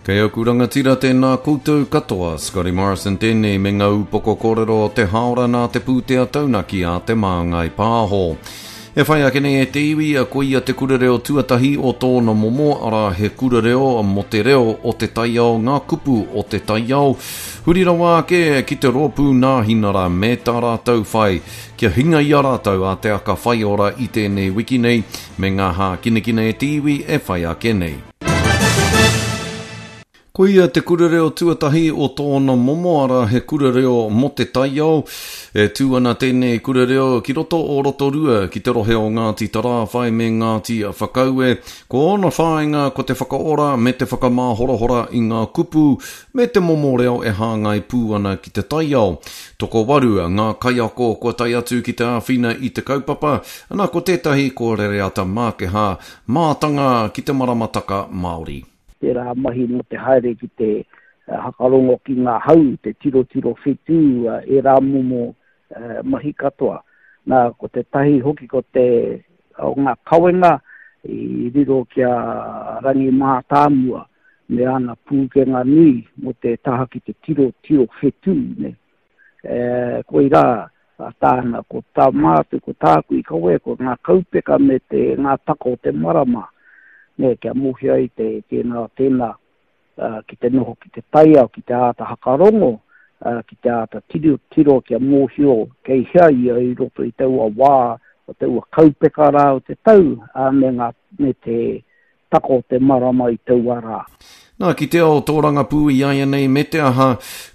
Kei aku rangatira tēnā koutou katoa, Scotty Morrison tēnei me ngā upoko kōrero o te hāora nā te pūtea taunaki a Te Māngai Pāho. E whai ake nei e te iwi, ko ia te kura reo tuatahi o tōna momo, arā he kura reo mō te reo o te taiao, ngā kupu o te taiao, huri rawa ake ki te rōpū Nāhinara me tā rātou whai kia hinga i a rātou a Te Aka Whaiora i tēnei wiki nei me ngā hākinakina e te iwi e whai ake nei. Ko ia te kura reo tuatahi o tōna momo, arā he kura reo mō te taiao. E tū ana tēnei kura reo ki roto o Rotorua, ki te rohe o Ngāti Tarāwhai me Ngāti Whakaue. Ko ōna whāinga ko te whakaora me te whakamāhorahora i ngā kupu me te momo reo e hāngai pū ana ki te taiao. Tokowaru ngā kaiako kua tae atu ki te āwhina i te kaupapa, ana ko tētahi ko Rereata Mākehā, mātanga ki te maramataka Māori. Tērā mahi mō te haere ki te hakarongo ki ngā hau, te tirotiro whetū, ērā momo mahi katoa. Nā, ko tētahi hoki ko te, o ngā kawenga i riro ki a Rangi Mātāmua me ana pūkenga nui mō te taha ki te tirotiro whetū, nē. E, koirā tāna, ko tā mātou, ko tāku i kawea, ko ngā kaupeka me te, ngā taka o te marama, nē, kia mōhio ai te, tēnā, tēnā, ki te noho ki te taiao, ki te āta hakarongo, ki te āta tiro, tiro kia mōhio kei hea ia i roto i taua wā, o taua kaupeka rā o te tau, ā, me ngā, me te taka o te marama i taua rā. Nā, ki te ao tōrangapū i āianei me te aha,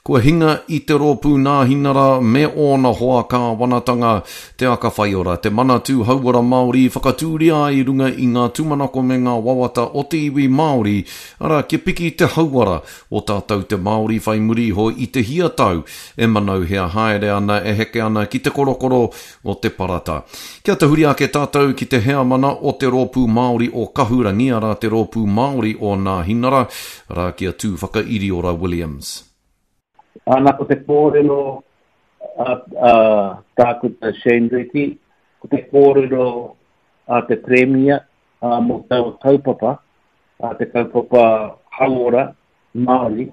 kua hinga i te rōpū Nāhinara me ōna hoa kāwanatanga, Te Aka Whaiora, te Manatū Hauora Māori i whakatūria ai i runga i ngā tūmanako me ngā wawata o te iwi Māori, arā, kia piki te hauora o tātou te Māori whai muri iho i te hia tau e manauhea haere ana, e heke ana ki te korokoro o te parata. Kia tahuri ake tātou ki te heamana o te Rōpū Māori o Kahurangi, arā te Rōpū Māori o Nāhinara, arā ki a Tūwhakairiora Williams. Ana ko te kōrero a, a Tākuta Shane Reti, ko te kōrero a te Premia a, mō taua kaupapa, a te kaupapa hauora Māori,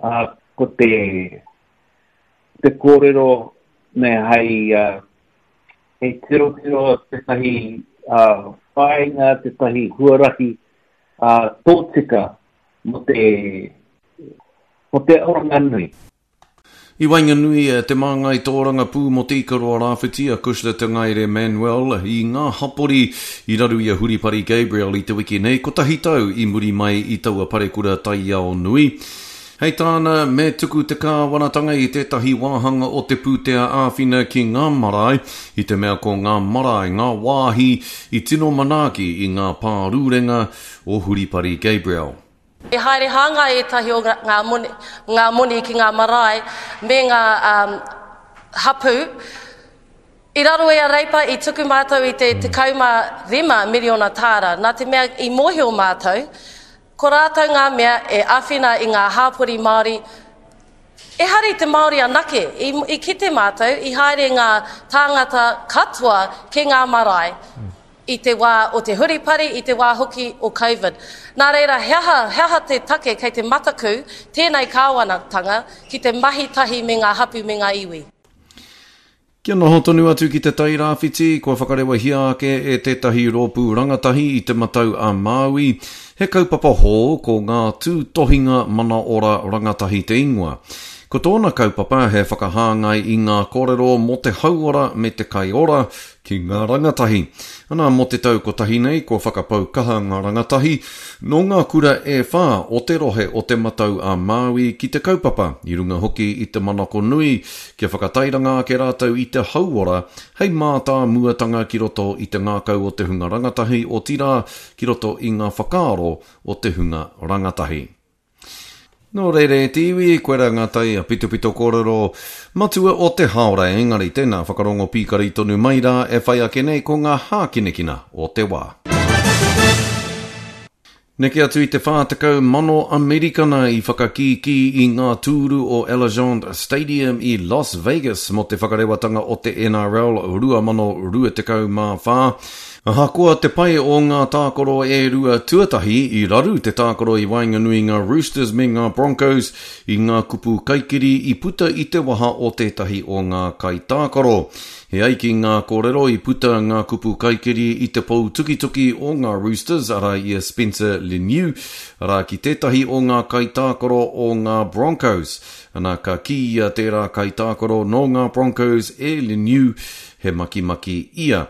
a, ko te te kōrero me hei, hei tirotiro tētahi whāinga, tētahi huarahi tōtika mō te, mō te oranga nui. I waenganui te māngai tōrangapū mō Te Ikaroa Rāwhiti a Cushla Te Ngaere Manuel i ngā hapori i raru i a Huripari Gabriel i te wiki nei, kotahi tau i muri mai i taua parekura taiao nui. Hei tāna, me tuku te kāwanatanga i tētahi wāhanga o te pūtea āwhina ki ngā marae, i te mea ko ngā marae ngā wāhi i tino manaaki i ngā pārurenga o Huripari Gabriel. I haere hāngai ētahi o ngā moni, ngā moni ki ngā marae me ngā hapū. I raro i a Reipa i tuku mātou i te 15 miriona tāra, nā te mea i mōhio mātou, Ko rātou ngā mea e āwhina i ngā hāpori Māori, ehara i te Māori anake, i, i kite mātou, i haere ngā tāngata katoa ki ngā marae i te wā o te huripari, i te wā hoki o Covid. Nā reira, he aha, he aha te take kei te mataku tēnei kāwanatanga ki te mahi tahi me ngā hapu me ngā iwi? Kia noho tonu atu ki Te Tai Rāwhiti, kua whakarewahia ake e tētahi rōpū rangatahi i Te Matau a Māui, he kaupapa hou ko Ngā Tūtohinga Mana Ora Rangatahi te ingoa. Ko tōna kaupapa he whakahāngai i ngā kōrero mō te hauora me te kai ora ki ngā rangatahi. Ana, mō te tau kotahi nei, kua whakapau kaha ngā rangatahi nō ngā kura e whā o te rohe o Te Matau a Māui ki te kaupapa, i runga hoki i te manako nui Kia whakatairanga ake rātou i te hauora hei mātāmuatanga ki roto i te ngākau o te hunga rangatahi, otirā, ki roto i ngā whakaaro o te hunga rangatahi. Nō reira e te iwi, koirā ngā tai pitopito kōrero matua o te hāora, engari tēnā whakarongo pīkari tonu mai rā e whai ake nei ko ngā hākinakina o te wā. Neke atu i te 40,000 Amerikana i whakakīkī i ngā tūru o Allegiant Stadium i Las Vegas mō te whakarewatanga o te NRL 2024. Ahakoa te pai o ngā tākaro e rua tuatahi, i raru te tākaro i waenganui i ngā Roosters me ngā Broncos i ngā kupu kaikiri i puta i te waha o tētahi o ngā kaitākaro. E ai ki ngā kōrero i puta ngā kupu kaikiri i te pou tukituki o ngā Roosters, arā i a Spencer Leniu, arā ki tētahi o ngā kaitākaro o ngā Broncos. Ana, ka kīia tērā kaitākaro nō ngā Broncos e Leniu, he makimaki ia.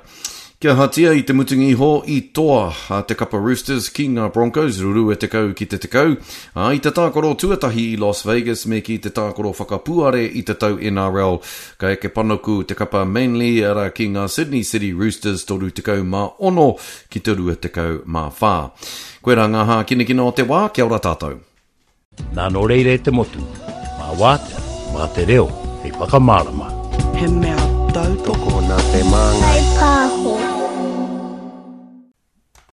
Kia ahatia i te mutunga iho i toa a te kapa Roosters ki ngā Broncos 20 ki te 10, ā, i te tākaro tuatahi i Las Vegas me kī te tākaro whakapuare i te tau NRL, ka eke panuku te kapa Manly arā ki ngā Sydney City Roosters 36 ki te 24. Koirā ngā hākinakina o te wā, kia ora tātou. Nā nō reira e te motu, mā wātea, mā te reo hei whakamārama. He mea tautoko nā te māngai. Whaipāho.